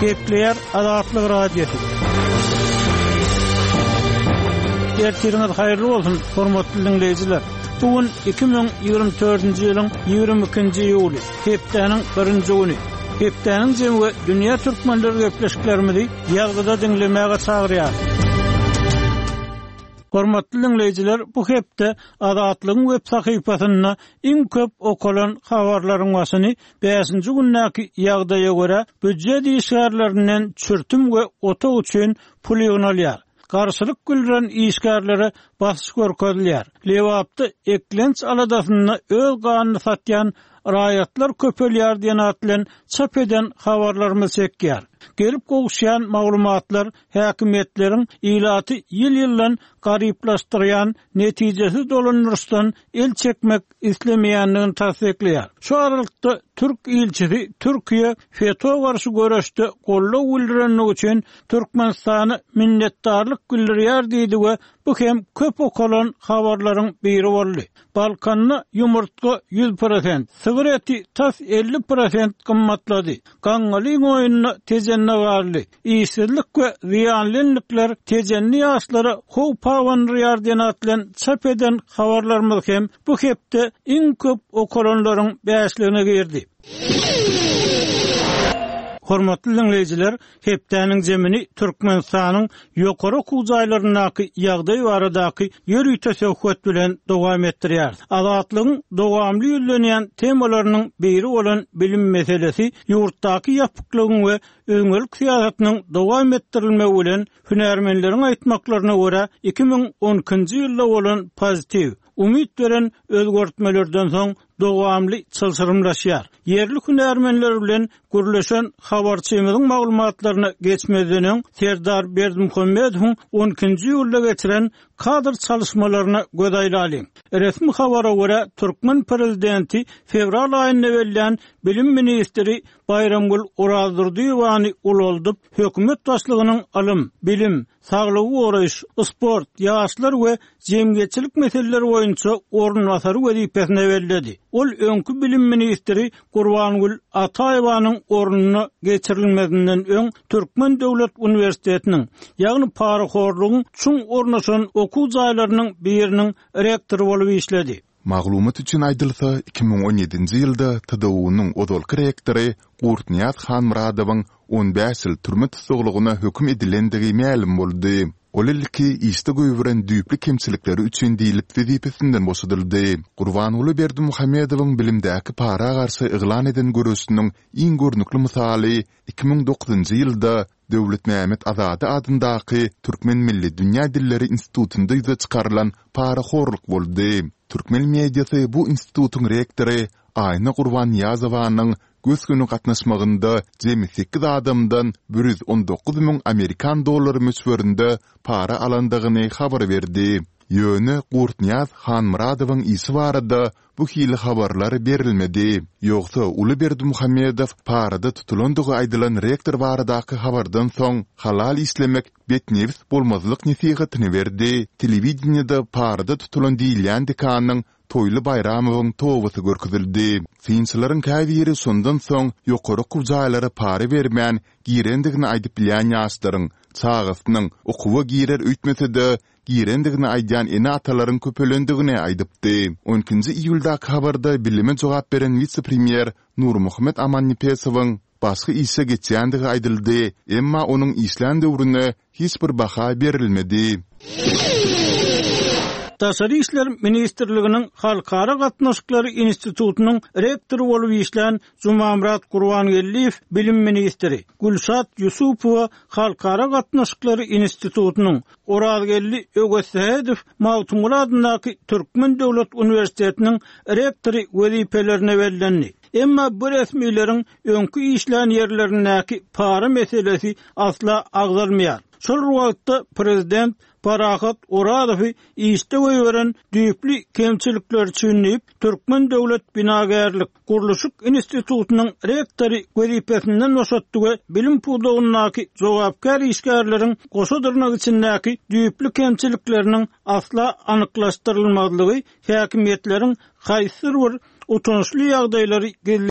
Gepleýär Azatlyk Radiosy. Ertiriňiz haýyrly bolsun, hormatly diňleýjiler! Bu gün 2024-nji ýylyň 22-nji iýuly, hepdäniň birinji güni. Hepdäniň jemi we dünýä türkmenleri gepleşiklerimizi ýazgyda diňlemäge çagyrýar. Hormatly diňleýjiler, bu hepde Azatlygyň web sahypasynda iň köp okalan habarlaryň başyny bäşinji gündäki ýagdaýa görä býujet işgärlerinden çürtüm we otag üçin pul ýygnalýar. Garşylyk bildiren işgärlere basyş görkezilýär. Lebapda eklenç aladasynda öz ganyny satýan raýatlar köpelýär diýen at bilen çap eden habarlarymyz çekýär. Gelip gowuşýan maglumatlar häkimiýetleriň ilaty ýyl-ýyldan garyplaşdyrýan netijesiz dolandyryşdan el çekmek islemeýändigini tassyklaýar. Şu aralykda, türk ilçisi Türkiýe FETÖ garşy göreşde goldaw bildirenligi üçin Türkmenistana minnetdarlyk bildirýär diýdi we bu hem köp okalan habarlaryň biri boldy. Balkanda ýumurtga 100%, sygyr eti tas 50% gymmatlady. Gaňňalyň oýunda Tejende galdy. Işsizlik we zyýanly endiklär tejenli ýaşlara howp abandyrýar diýen at bilen çap eden habarlarymyz hem bu hepde iň köp okalanlaryň bäşligine girdi. Hormatly diňleýjiler, hepdäniň jemini Türkmenistanyň ýokary okuw jaýlaryndaky ýagdaý baradaky ýörite söhbet bilen dowam etdirýäris. Azatlygyň dowamly ýüzlenýän temalarynyň biri bolan bilim meselesi ýurtdaky ýapyklygyň we Üzňelik syýasatynyň dowam etdirilmegi bilen, hünärmenleriň aýtmaklaryna görä, 2012-nji ýylda bolan pozitiw, umyt beren özgertmelerden soň dowamly çylşyrymlaşýar. Ýerli hünärmenler bilen gürleşen habarçymyzyň maglumatlaryna geçmezden öň, Serdar Berdimuhamedowyň on ikinji iýulda geçiren kadr çalyşmalaryna göz aýlalyň. Resmi habara görä, türkmen prezidenti fewral aýynda bellän bilim ministri Baýramgül Orazdurdyýewany ulaldyp, hökümet başlygynyň ylym, bilim, saglygy goraýyş, sport, ýaşlar we jemgyýetçilik meseleleri boýunça orunbasary wezipesine belledi. Ol öňki bilim ministri Gurbangül Ataýewanyň ornuna geçirilmezinden öň Türkmen döwlet uniwersitetiniň, ýagny parahorlugyň çuň ornaşan okuw jaýlarynyň biriniň rektory bolup işledi. Maglumat üçin aýdylsa, 2017-nji ýylda TDU-nyň ozalky rektory Gurtnyýaz Hanmyradowyň 15 ýyl türme tussaglygyna höküm edilendigi mälim boldy. Ol ilki işde goýberen düýpli kemçilikleri üçin diýlip wezipesinden boşadyldy. Gurbanguly Berdimuhamedowyň bilimdäki para garşy yglan eden göreşiniň iň görnükli mysaly 2009-njy ýylda Döwletmämmet Azady adyndaky Türkmen milli dünýä dilleri institutynda ýüze çykarylan parahorluk boldy. Türkmen mediasy bu institutyň rektory Aýna Gurbannyýazowanyň gös-göni gatnaşmagynda jemi sekiz adamdan 119 müň amerikan dollary möçberinde para alandygyny habar berdi. Ýöne Gurtnyýaz Hanmyradowyň işi barada bu hili habarlar berilmedi. Ýogsa uly Berdimuhamedow parada tutulandygy aýdylan rektor baradaky habardan soň, halal işlemek betnebis bolmazlyk nesihatyny berdi, telewideniýede parada tutulan diýilýän dekanyň Toýly Baýramowyň tobasy görkezildi. Synçylaryň käbiri şondan soň ýokary okuw jaýlara para bermän girendigini aýdyp bilýän ýaşlaryň çagasynyň okuwa girer öýtmese-de, girendigini aýdýan ene-atalaryň köpelendigini aýdypdy. On ikinji iýuldaky habarda bilime jogap beren wise-premýer Nurmuhammet Amannepesowyň başga işe geçýändigi aýdyldy, emma onuň işlän döwrüne hiç bir baha berilmedi. Daşary işler ministrliginiň Halkara gatnaşyklary institutynyň rektory bolup işlän Jumamyrat Gurbangeldiýew bilim ministri, Gülşat Ýusupowa Halkara gatnaşyklary institutynyň Orazgeldi Öwezsähedow Magtymguly adyndaky Türkmen döwlet uniwersitetiniň rektory wezipelerine bellendi. Emma bu resmileriň öňki işlän ýerlerindäki para meselesi asla agzalmaýar. Şol bir wagtda, prezident Parahat Orazowy işde goýberen düýpli kemçilikleri üçin diýip, Türkmen döwlet binagärlik, gurluşyk institutynyň rektory wezipesinden boşatdy we bilim pudagyndaky jogapkär işgärleriň goşa dyrnak içindäki düýpli kemçilikleriniň asla anyklaşdyrylmazlygy häkimiýetleriň haýsydyr bir utançly ýagdaýlary gizleýän.